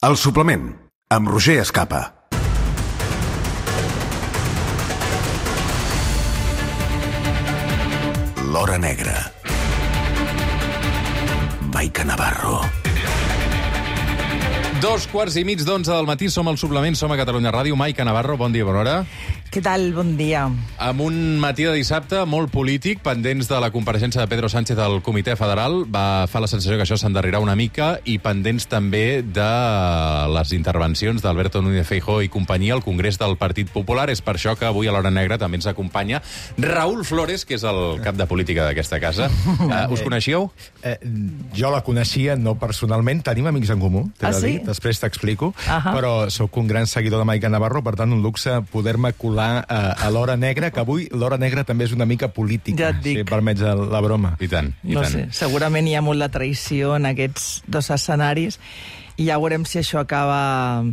El suplement, amb Roger Escapa. L'Hora Negra. Maica Navarro. 2:15 del matí, som al suplement, som a Catalunya Ràdio. Maica Navarro, bon dia, bona hora. Què tal? Bon dia. Amb un matí de dissabte molt polític, pendents de la compareixença de Pedro Sánchez al Comitè Federal, fa la sensació que això s'endarrerà una mica, i pendents també de les intervencions d'Alberto Núñez Feijóo i companyia al Congrés del Partit Popular. És per això que avui a l'Hora Negra també ens acompanya Raúl Flores, que és el cap de política d'aquesta casa. Us coneixíeu? Jo la coneixia, no personalment. Tenim amics en comú, t'he de dir. Després t'explico. Però sóc un gran seguidor de Maica Navarro, per tant, un luxe poder-me colar a l'Hora Negra, que avui l'Hora Negra també és una mica política, ja et dic. si permets la broma. I tant, i no tant. sé, segurament hi ha molt de traïció en aquests dos escenaris, i ja veurem si això acaba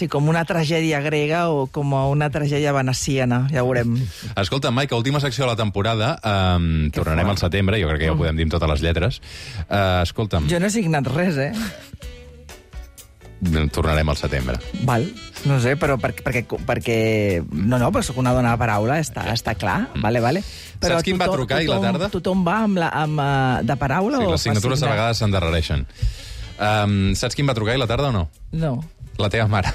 com una tragèdia grega o com una tragèdia veneciana, ja veurem. Escolta, Maica, última secció de la temporada, tornarem al setembre, jo crec que ja ho podem dir amb totes les lletres. Escolta'm... Jo no he signat res, Tornarem al setembre. Val, no sé, però perquè... No, però soc una dona de paraula, està clar, vale. Però saps qui em va trucar ahir a la tarda? Tothom va de paraula o les signatures a vegades s'endarrereixen. Saps qui em va trucar ahir a la tarda o no? No. La teva mare.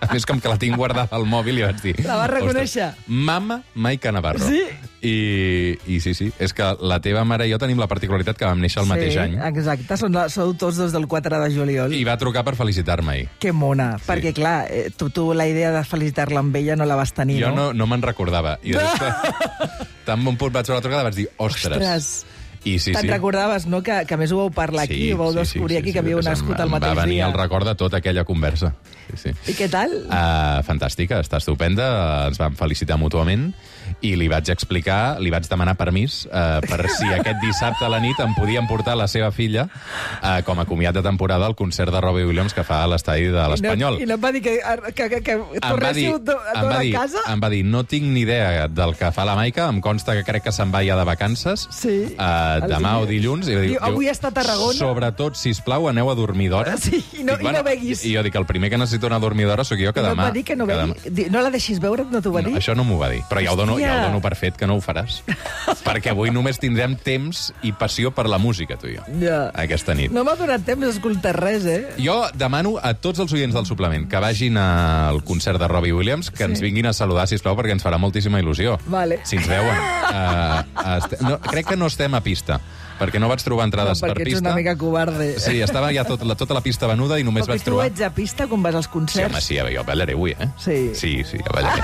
A més, com que la tinc guardada al mòbil, i vaig dir... La vas reconèixer? Mama Maica Navarro. Sí? I sí, és que la teva mare i jo tenim la particularitat que vam néixer el mateix any. Sí, exacte, sou tots dos del 4 de juliol. I va trucar per felicitar-me ahir. Que mona, perquè clar, tu la idea de felicitar-la amb ella no la vas tenir, no? Jo no me'n recordava. I tan bon punt vaig veure la trucada, vaig dir, ostres. I sí, te'n recordaves, no?, que a més ho vau parlar aquí, ho vau descobrir aquí, que havíeu nascut al mateix dia. Va venir el record de tota aquella conversa. Sí. I què tal? Fantàstica, està estupenda, ens vam felicitar mútuament, i li vaig explicar, li vaig demanar permís per si aquest dissabte a la nit em podien portar la seva filla com a comiat de temporada al concert de Robbie Williams que fa a l'estadi de l'Espanyol. I no em va dir que tornéssiu a casa? Em va dir, no tinc ni idea del que fa la Maica, em consta que crec que se'n va ja de vacances, demà o dilluns. Avui està a Tarragona. Sobretot, sisplau, aneu a dormir d'hora. Sí, i no beguis. I jo dic, el primer que necessito anar a dormir d'hora sóc jo, que demà... No et va dir que no begui? No la deixis veure, no t'ho va dir? Això no m'ho va dir, però ja ho dono per fet que no ho faràs. Perquè avui només tindrem temps i passió per la música, tu i jo, aquesta nit. No m'ha donat temps d'escoltar res, Jo demano a tots els oients del suplement que vagin al concert de Robbie Williams, que ens vinguin a saludar, sisplau, perquè ens farà moltíssima il·lusió. Vale. Si ens veuen. Crec que no estem a pista, perquè no vaig trobar entrades per pista. Perquè ets una mica covarde. Sí, estava ja tota la pista venuda i només vaig trobar... Perquè tu ets a pista quan vas als concerts? Sí, home, jo ballaré avui, Sí, jo ballaré.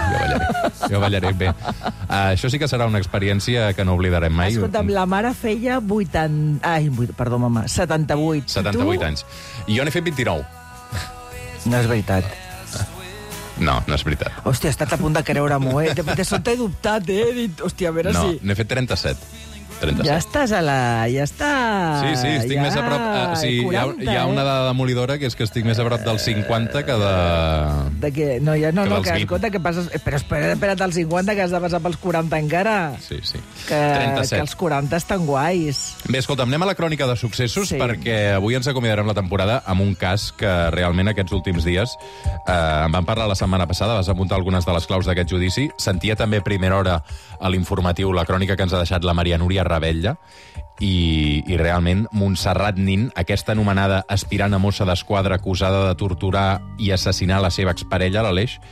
Jo ballaré bé. Això sí que serà una experiència que no oblidarem mai. Escolta'm, la mare feia 78. 78 anys. I jo n'he fet 29. No és veritat. No és veritat. Hòstia, he estat a punt de creure-m'ho, De sobte he dubtat, He dit, hòstia, a veure si... No, n'he fet 37. Ja estàs ja està... Sí, estic més a prop... Hi ha una dada demolidora, que és que estic més a prop dels 50 que de... De què? No, que escolta, que passes... Però espera't als 50, que has de passar pels 40 encara. Sí. Que els 40 estan guais. Bé, escolta, anem a la crònica de successos, perquè avui ens acomiadarem la temporada amb un cas que realment aquests últims dies en vam parlar la setmana passada, vas apuntar algunes de les claus d'aquest judici. Sentia també a primera hora a l'informatiu la crònica que ens ha deixat la Maria Núria Ravella, i realment Montserrat Nin, aquesta anomenada aspirant a mossa d'esquadra acusada de torturar i assassinar la seva exparella, l'Aleix.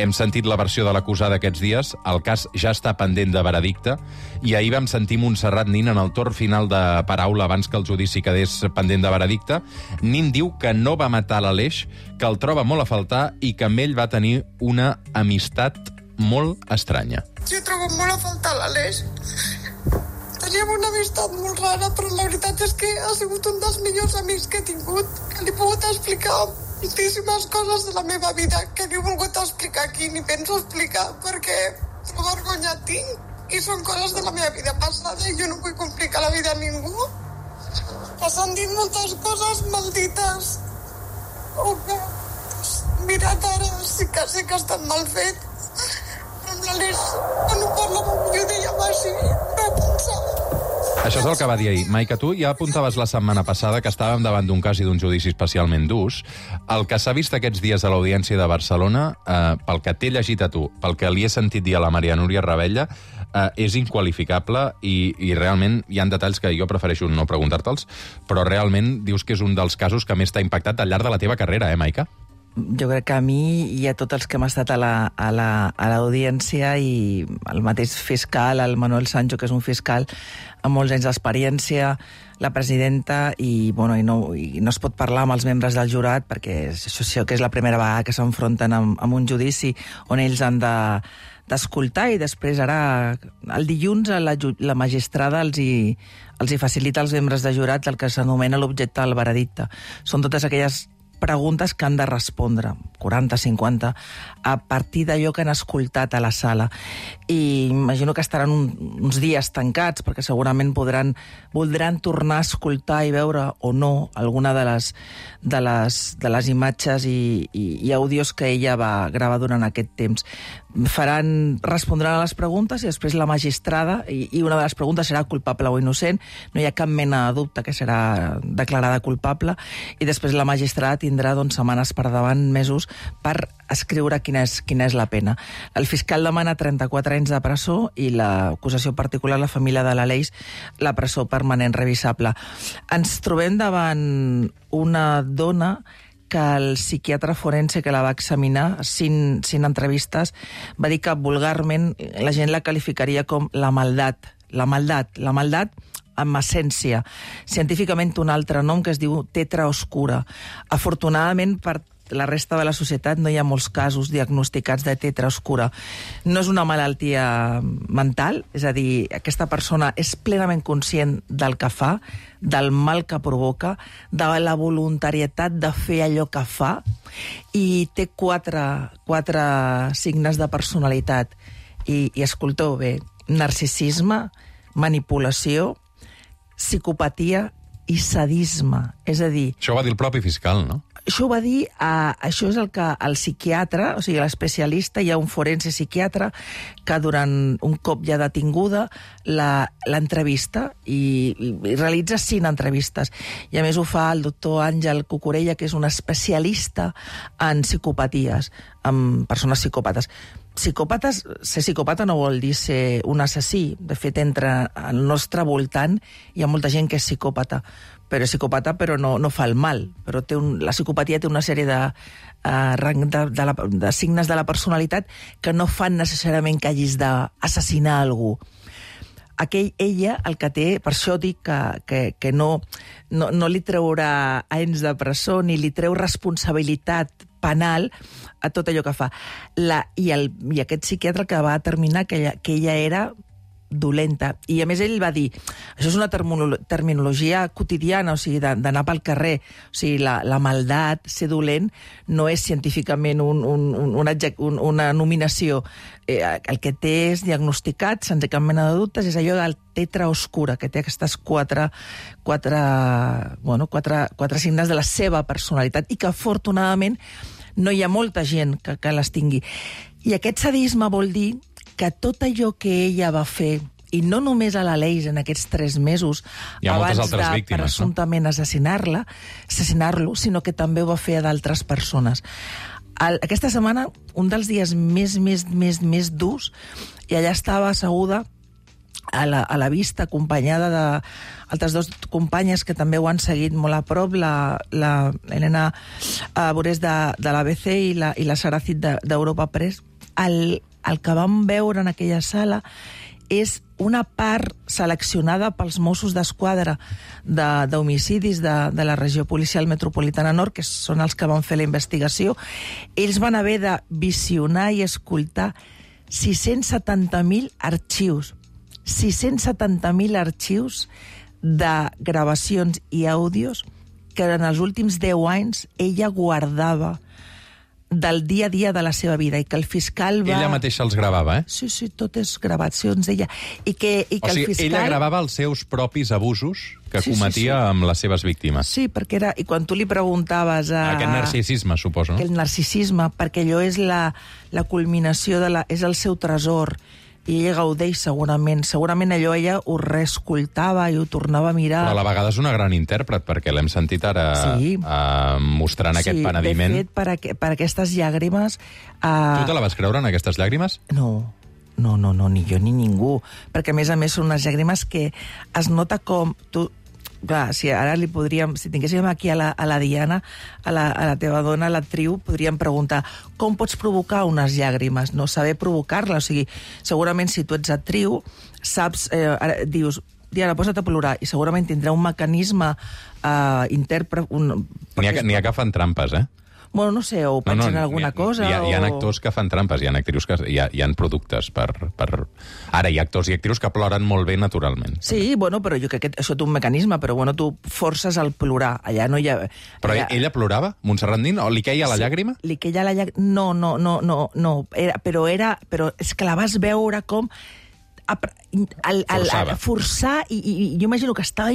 Hem sentit la versió de l'acusada aquests dies, el cas ja està pendent de veredicte, i ahir vam sentir Montserrat Nin en el torn final de paraula abans que el judici quedés pendent de veredicte. Nin diu que no va matar l'Aleix, que el troba molt a faltar i que amb ell va tenir una amistat molt estranya. Jo trobo molt a faltar l'Aleix. Teníem una amistat molt rara, però la veritat és que ha sigut un dels millors amics que he tingut, que li he pogut explicar moltíssimes coses de la meva vida que no he volgut explicar aquí ni penso explicar perquè vergonya tinc i són coses de la meva vida passada i jo no vull complicar la vida a ningú. S'han dit moltes coses maldites o que mirat ara sí que sé que ha estat mal fet, però amb l'Aleix quan ho parlàvem jo deia així, no pensava. Això és el que va dir ahir. Maica, tu ja apuntaves la setmana passada que estàvem davant d'un cas i d'un judici especialment durs. El que s'ha vist aquests dies a l'Audiència de Barcelona, pel que t'he llegit a tu, pel que li he sentit dir a la Maria Núria Ravella, és inqualificable i realment hi ha detalls que jo prefereixo no preguntar-te'ls, però realment dius que és un dels casos que més t'ha impactat al llarg de la teva carrera, Maica? Jo crec que a mi i a tots els que hem estat a l'audiència i el mateix fiscal, el Manuel Sancho, que és un fiscal amb molts anys d'experiència, la presidenta, i no es pot parlar amb els membres del jurat perquè això que és la primera vegada que s'enfronten amb un judici on ells han d'escoltar i després ara, el dilluns, la magistrada els hi facilita als membres de jurat el que s'anomena l'objecte del veredicte. Són totes aquelles preguntes que han de respondre, 40, 50, a partir d'allò que han escoltat a la sala. I imagino que estaran uns dies tancats, perquè segurament voldran tornar a escoltar i veure o no alguna de les imatges i àudios que ella va gravar durant aquest temps. Respondran a les preguntes i després la magistrada, i una de les preguntes serà culpable o innocent, no hi ha cap mena de dubte que serà declarada culpable, i després la magistrada tindrà setmanes per davant, mesos, per escriure quina és la pena. El fiscal demana 34 anys de presó i l'acusació particular, la família de l'Aleix, la presó permanent revisable. Ens trobem davant una dona que el psiquiatre forense que la va examinar, sin entrevistes, va dir que vulgarment la gent la qualificaria com la maldat. La maldat amb essència. Científicament un altre nom que es diu tetra oscura. Afortunadament per la resta de la societat no hi ha molts casos diagnosticats de tetra oscura. No és una malaltia mental, és a dir, aquesta persona és plenament conscient del que fa, del mal que provoca, de la voluntarietat de fer allò que fa, i té quatre signes de personalitat. I escolteu bé, narcisisme, manipulació, psicopatia i sadisme. És a dir... Això ho va dir el propi fiscal, no? Això ho va dir, això és el que el psiquiatre, o sigui, l'especialista, hi ha un forense psiquiatre que durant un cop ja detinguda l'entrevista i realitza 5 entrevistes. I a més ho fa el doctor Àngel Cucurella, que és un especialista en psicopaties, en persones psicòpates. Ser psicòpata no vol dir ser un assassí. De fet, entre el nostre voltant hi ha molta gent que és psicòpata, però és psicòpata però no fa el mal. Però la psicopatia té una sèrie de signes de la personalitat que no fan necessàriament que hagis d'assassinar algú. Ella, el que té, per això dic que no li treurà anys de presó ni li treu responsabilitat penal a tot allò que fa. I aquest psiquiatre que va determinar que ella era dolenta. I a més ell va dir, això és una terminologia quotidiana, o sigui, d'anar pel carrer. O sigui, la maldat, ser dolent, no és científicament una nominació. El que té és diagnosticat, sense cap mena de dubtes, és allò del tetra oscura, que té aquestes quatre signes de la seva personalitat i que, afortunadament, no hi ha molta gent que les tingui. I aquest sadisme vol dir que tot allò que ella va fer, i no només a l'Aleix en aquests 3 mesos, abans de presumptament assassinar-lo, sinó que també ho va fer a d'altres persones. Aquesta setmana, un dels dies més durs, i allà estava asseguda a la vista, acompanyada d'altres 2 companyes que també ho han seguit molt a prop, l'Helena Borés de l'ABC i la Sara Cid d'Europa Press. El que vam veure en aquella sala és una part seleccionada pels Mossos d'Esquadra d'homicidis de la regió policial metropolitana nord, que són els que van fer la investigació. Ells van haver de visionar i escoltar 670.000 arxius. 670.000 arxius de gravacions i àudios que en els últims 10 anys ella guardava del dia a dia de la seva vida, i que el fiscal va... Ella mateixa els gravava, eh? Sí, tot és gravacions d'ella. O sigui, ella gravava els seus propis abusos que cometia amb les seves víctimes. Sí, perquè era... I quan tu li preguntaves... Aquest narcisisme, suposo, no? Aquest narcisisme, perquè allò és la culminació és el seu tresor. i ella gaudeix segurament allò ella ho reescoltava i ho tornava a mirar. Però a la vegada és una gran intèrpret, perquè l'hem sentit ara mostrant aquest penediment. Sí, de fet, per aquestes llàgrimes... Tu te la vas creure en aquestes llàgrimes? No, ni jo ni ningú. Perquè, a més, són unes llàgrimes que es nota com... Clar, si ara si tinguéssim aquí a la Diana, a la teva dona, a l'actriu, podríem preguntar com pots provocar unes llàgrimes, no saber provocar-les. O sigui, segurament si tu ets actriu, saps, dius, Diana, posa't a plorar, i segurament tindrà un mecanisme intèrpret... N'hi ha que fan trampes, eh? Bueno, no sé, o pensen en alguna cosa... Hi ha actors que fan trampes, hi ha actrius que... Hi ha productes per... Ara, hi ha actors i actrius que ploren molt bé naturalment. Sí, bueno, però jo crec que això té un mecanisme, però bueno, tu forces al plorar. Allà no hi ha... Però ella plorava? Montserrat Nin? O li queia la llàgrima? Li queia la llàgrima... No. Però és que la vas veure com... forçar, i jo imagino que estava...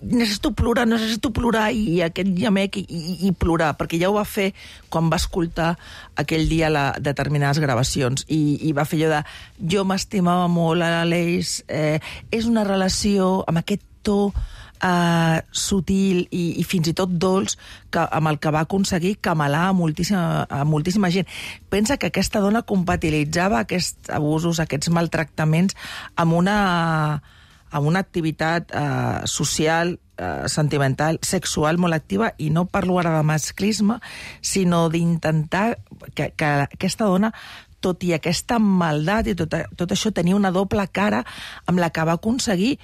Necessito plorar, i aquest llamec, i plorar, perquè ja ho va fer quan va escoltar aquell dia determinades gravacions, i va fer allò de... Jo m'estimava molt a l'Aleix, és una relació amb aquest to sutil i fins i tot dolç amb el que va aconseguir camelar a moltíssima gent. Pensa que aquesta dona compatibilitzava aquests abusos, aquests maltractaments amb una activitat social, sentimental, sexual molt activa, i no parlo ara de masclisme, sinó d'intentar que aquesta dona, tot i aquesta maldat i tot això, tenia una doble cara amb la que va aconseguir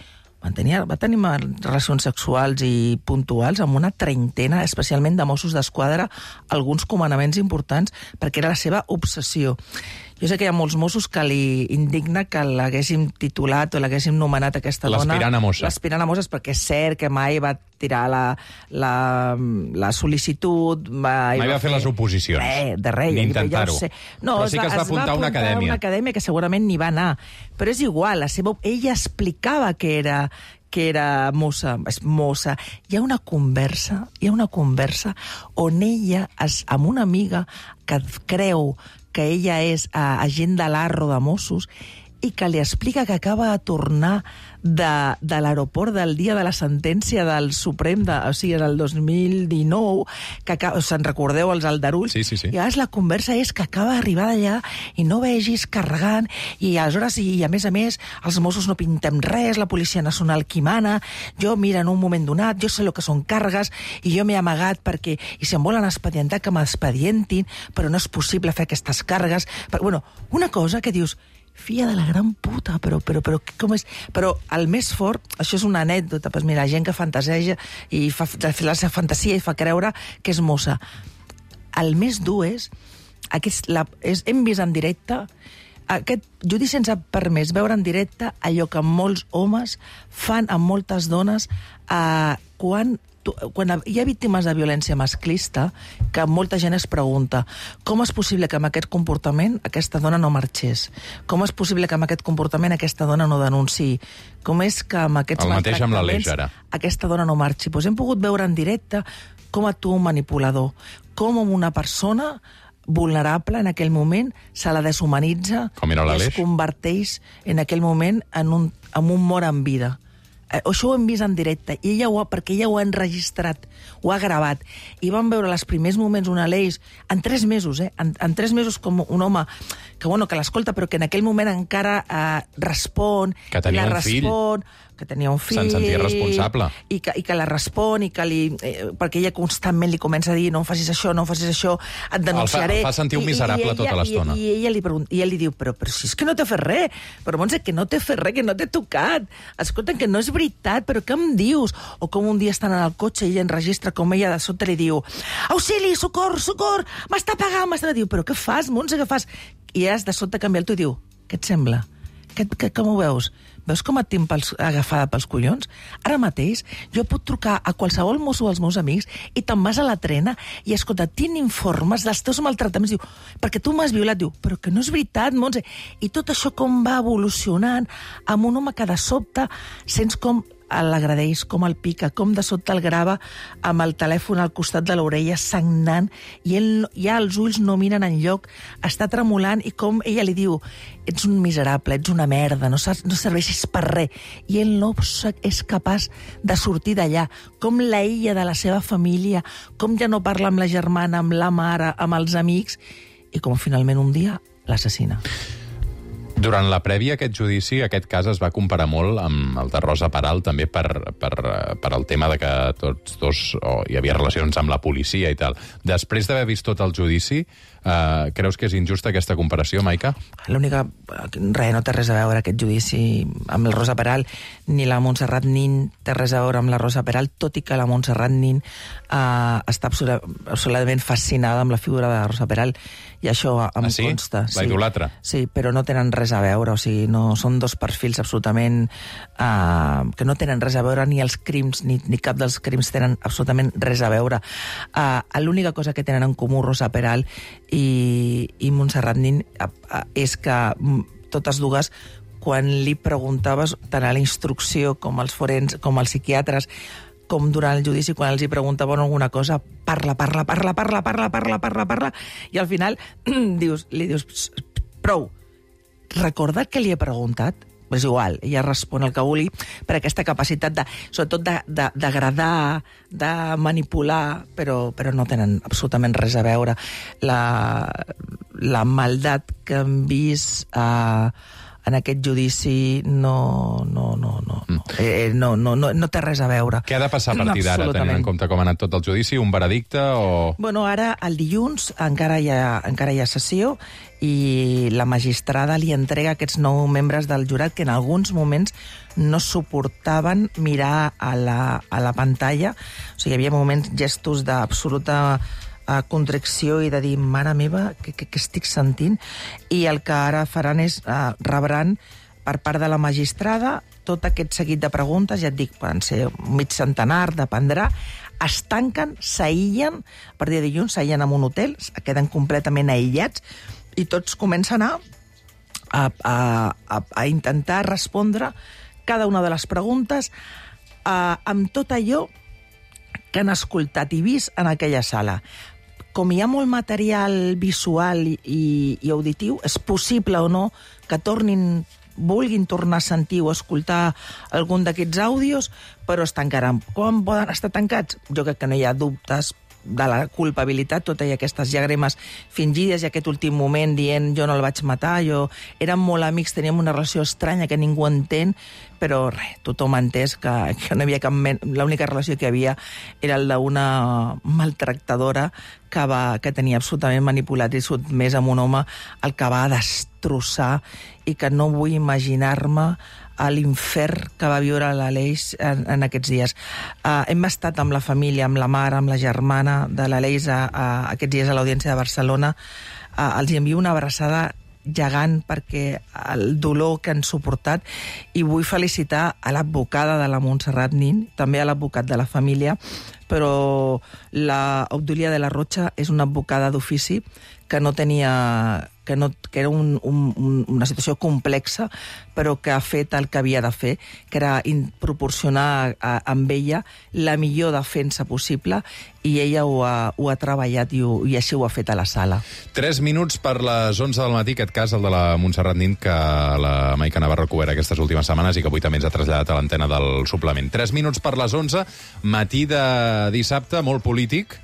va tenir relacions sexuals i puntuals amb una treintena, especialment de Mossos d'Esquadra, alguns comandaments importants, perquè era la seva obsessió. Jo sé que hi ha molts Mossos que li indigna que l'haguéssim titulat o l'haguéssim nomenat aquesta dona... L'aspirant a mossa. L'aspirant a mosses, perquè és cert que mai va tirar la sol·licitud... Mai va fer les oposicions. De res. Ni intentar-ho. No, però sí que es va apuntar a una acadèmia. Una acadèmia que segurament n'hi va anar. Però és igual, ella explicava que era mossa. Hi ha una conversa on ella, amb una amiga que creu que ella és agent de l'Arro de Mossos i que li explica que acaba de tornar de l'aeroport del dia de la sentència del Suprem, o sigui, del 2019, que se'n recordeu, els aldarulls? Sí. I llavors la conversa és que acaba d'arribar d'allà i no vegis carregant, i aleshores, i a més, els Mossos no pintem res, la Policia Nacional qui mana, jo, mira, en un moment donat, jo sé el que són càrregues, i jo m'he amagat perquè, i si em volen expedientar, que m'expedientin, però no és possible fer aquestes càrregues. Bueno, una cosa que dius, filla de la gran puta, però com és? Però el més fort, això és una anècdota, doncs mira, gent que fantaseja i fa la seva fantasia i fa creure que és mossa. El més dur és hem vist en directe aquest judici sense permès, veure en directe allò que molts homes fan amb moltes dones quan hi ha víctimes de violència masclista, que molta gent es pregunta com és possible que amb aquest comportament aquesta dona no marxés? Com és possible que amb aquest comportament aquesta dona no denunciï? Com és que amb aquests maltractaments aquesta dona no marxi? Doncs hem pogut veure en directe com actua un manipulador, com una persona vulnerable en aquell moment se la deshumanitza i es converteix en aquell moment en un mort en vida. Això ho hem vist en directe, i perquè ella ho ha enregistrat, ho ha gravat, i vam veure els primers moments un Aleix, en 3 mesos, en 3 mesos com un home que l'escolta, però que en aquell moment encara respon, que tenia un fill, que tenia un fill... Se'n sentia responsable. I que la respon, i que perquè ella constantment li comença a dir no em facis això, et denunciaré... El fa sentir un miserable tota l'estona. I ell li diu, però si és que no t'he fet res, però Montse, que no t'he fet res, que no t'he tocat, escolta, que no és veritat, però què em dius? O com un dia estan en el cotxe i ella enregistra com ella de sota li diu auxili, socor, m'està pagant, diu, però què fas, Montse, què fas? I has de sota canviar el tu i diu, què et sembla? Com ho veus? Veus com et tinc agafada pels collons? Ara mateix jo puc trucar a qualsevol mosso dels meus amics i te'n vas a la trena i, escolta, tinc informes dels teus maltractaments. Diu, perquè tu m'has violat. Diu, però que no és veritat, Montse. I tot això com va evolucionant amb un home que de sobte sents com l'agradeix, com el pica, com de sobte el grava amb el telèfon al costat de l'orella sagnant, i ell ja els ulls no miren enlloc, està tremolant, i com ella li diu: ets un miserable, ets una merda, no serveixis per res. I ell no és capaç de sortir d'allà. Com l'aïlla de la seva família, com ja no parla amb la germana, amb la mare, amb els amics, i com finalment un dia l'assassina. Durant la prèvia a aquest judici, aquest cas es va comparar molt amb el de Rosa Peral, també per el tema de que tots dos hi havia relacions amb la policia i tal. Després d'haver vist tot el judici, creus que és injusta aquesta comparació, Maica? L'única... Res, no té res a veure aquest judici amb la Rosa Peral, ni la Montserrat Nin té res a veure amb la Rosa Peral, tot i que la Montserrat Nin està absolutament fascinada amb la figura de la Rosa Peral, i això em consta. La idolatra? Sí, però no tenen res a veure, o sigui, no, són dos perfils absolutament que no tenen res a veure, ni els crims, ni cap dels crims tenen absolutament res a veure. L'única cosa que tenen en comú Rosa Peral i Montserrat Nin és que totes dues, quan li preguntaves tant a la instrucció com als forens, com als psiquiatres, com durant el judici, quan els hi preguntaven alguna cosa, parla, i al final li dius, prou, recorda que li he preguntat? És igual, ella respon el que vulgui, per aquesta capacitat, sobretot d'agradar, de manipular, però no tenen absolutament res a veure. La maldat que hem vist en aquest judici no té res a veure. Què ha de passar a partir d'ara, tenint en compte com ha anat tot el judici? Un veredicte o...? Bueno, ara, el dilluns, encara hi ha sessió, i la magistrada li entrega aquests 9 membres del jurat que en alguns moments no suportaven mirar a la pantalla. O sigui, hi havia moments, gestos d'absoluta contricció i de dir, mare meva, què estic sentint? I el que ara faran és rebran per part de la magistrada tot aquest seguit de preguntes, ja et dic, poden ser mig centenar, dependrà, es tanquen, s'aïllen, a partir de dilluns s'aïllen en un hotel, queden completament aïllats, i tots comencen a intentar respondre cada una de les preguntes amb tot allò que han escoltat i vist en aquella sala. Com hi ha molt material visual i auditiu, és possible o no que vulguin tornar a sentir o escoltar algun d'aquests àudios, però es tancaran. Com poden estar tancats? Jo crec que no hi ha dubtes de la culpabilitat, totes aquestes llàgrimes fingides i aquest últim moment dient jo no el vaig matar, érem molt amics, teníem una relació estranya que ningú entén, però res, tothom ha entès que no hi havia cap l'única relació que hi havia era el d'una maltractadora que tenia absolutament manipulat i sotmès amb un home el que va destrossar, i que no vull imaginar-me a l'infern que va viure l'Aleix en aquests dies. Hem estat amb la família, amb la mare, amb la germana de l'Aleix aquests dies a l'Audiència de Barcelona. Els envio una abraçada gegant perquè el dolor que han suportat, i vull felicitar a l'advocada de la Montserrat Nin, també a l'advocat de la família, però la Obdúlia de la Rocha és una advocada d'ofici que no tenia... que era una situació complexa, però que ha fet el que havia de fer, que era proporcionar amb ella la millor defensa possible, i ella ho ha treballat i així ho ha fet a la sala. 3 minuts per les 11 del matí, aquest cas, el de la Montserrat Nin, que la Maica Navarro ha cobert aquestes últimes setmanes i que avui també ens ha traslladat a l'antena del suplement. 3 minuts per les 11, matí de dissabte, molt polític.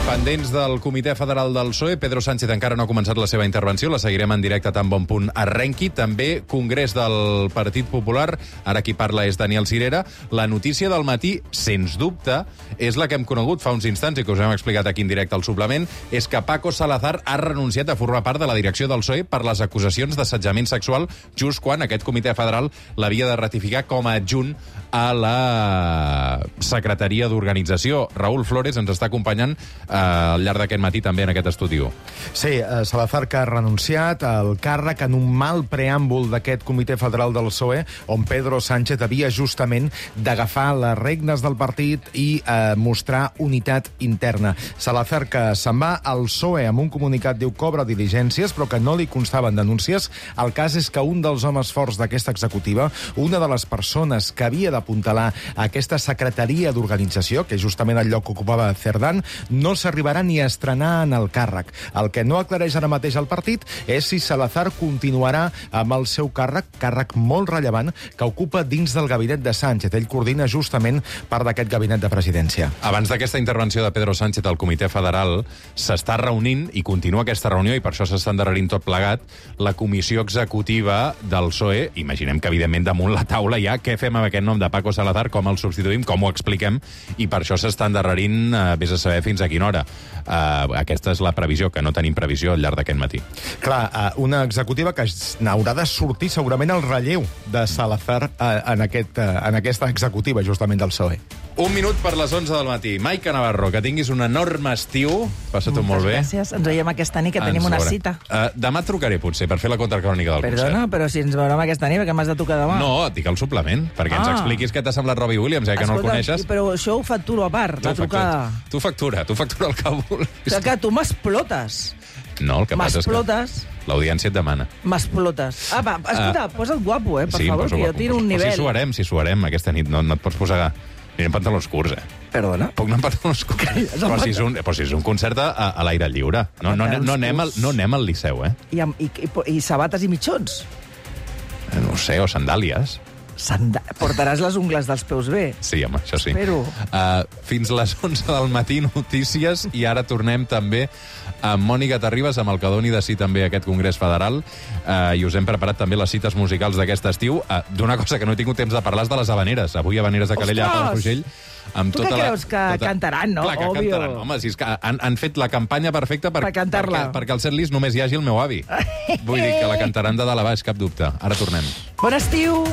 Pendents del Comitè Federal del PSOE, Pedro Sánchez encara no ha començat la seva intervenció, la seguirem en directe tan bon punt arrenqui. També Congrés del Partit Popular, ara qui parla és Daniel Sirera. La notícia del matí, sens dubte, és la que hem conegut fa uns instants i que us hem explicat aquí en directe al suplement, és que Paco Salazar ha renunciat a formar part de la direcció del PSOE per les acusacions d'assetjament sexual, just quan aquest Comitè Federal l'havia de ratificar com a adjunt a la Secretaria d'Organització. Raúl Flores ens està acompanyant al llarg d'aquest matí també en aquest estudi 1. Sí, Salazar que ha renunciat al càrrec en un mal preàmbul d'aquest Comitè Federal del PSOE, on Pedro Sánchez havia justament d'agafar les regnes del partit i mostrar unitat interna. Salazar que se'n va al PSOE amb un comunicat, diu, cobra diligències, però que no li constaven denúncies. El cas és que un dels homes forts d'aquesta executiva, una de les persones que havia d'apuntalar aquesta secretaria d'organització, que és justament el lloc que ocupava Cerdán, no s'arribarà ni a estrenar en el càrrec. El que no aclareix ara mateix el partit és si Salazar continuarà amb el seu càrrec molt rellevant que ocupa dins del gabinet de Sánchez. Ell coordina justament part d'aquest gabinet de presidència. Abans d'aquesta intervenció de Pedro Sánchez al Comitè Federal, s'està reunint, i continua aquesta reunió, i per això s'està endarrerint tot plegat, la comissió executiva del PSOE. Imaginem que, evidentment, damunt la taula ja què fem amb aquest nom de Paco Salazar, com el substituïm, com ho expliquem, i per això s'està endarrerint, vés a saber fins a quina hora. Aquesta és la previsió, que no tenim previsió al llarg d'aquest matí. Clar, una executiva que n'haurà de sortir segurament el relleu de Salazar en aquesta executiva, justament del PSOE. 1 minut per les 11 del matí. Maica Navarro, que tinguis un enorme estiu. Passa-t'ho molt bé. Gràcies. Ens veiem aquesta nit, que tenim una cita. Demà et trucaré, potser, per fer la contracrònica del concert. Perdona, però si ens veurem aquesta nit, perquè m'has de tocar demà. No, et dic el suplement, perquè ens expliquis què t'ha semblat Robbie Williams, que no el coneixes. Però això ho facturo a part, la trucada. Tu factura el que vulguis. Que tu m'explotes. No, el que passa és que l'audiència et demana. M'explotes. Va, escolta, posa't guapo, per favor, que jo tiro un nivell. Si suarem aquesta nit, no et pots posar... Anirem pantalons curts, Perdona? Puc anar amb pantalons curts? Però si és un concert a l'aire lliure. No anem al Liceu, I sabates i mitjons? No sé, o sandàlies. Portaràs les ungles dels peus bé? Sí, home, això sí. Espero. Fins les 11 del matí, notícies, i ara tornem també amb Mònica Terribas, amb el que doni de sí també aquest Congrés Federal, i us hem preparat també les cites musicals d'aquest estiu. D'una cosa que no he tingut temps de parlar és de les Havaneres. Avui Havaneres de Calella a Palafrugell. Tu què creus? Que cantaran, no? Clar que cantaran. Home, si és que han fet la campanya perfecta per cantar-la. Perquè al setlist només hi hagi el meu avi. Vull dir que la cantaran de dalt a baix, cap dubte. Ara tornem. Bon estiu!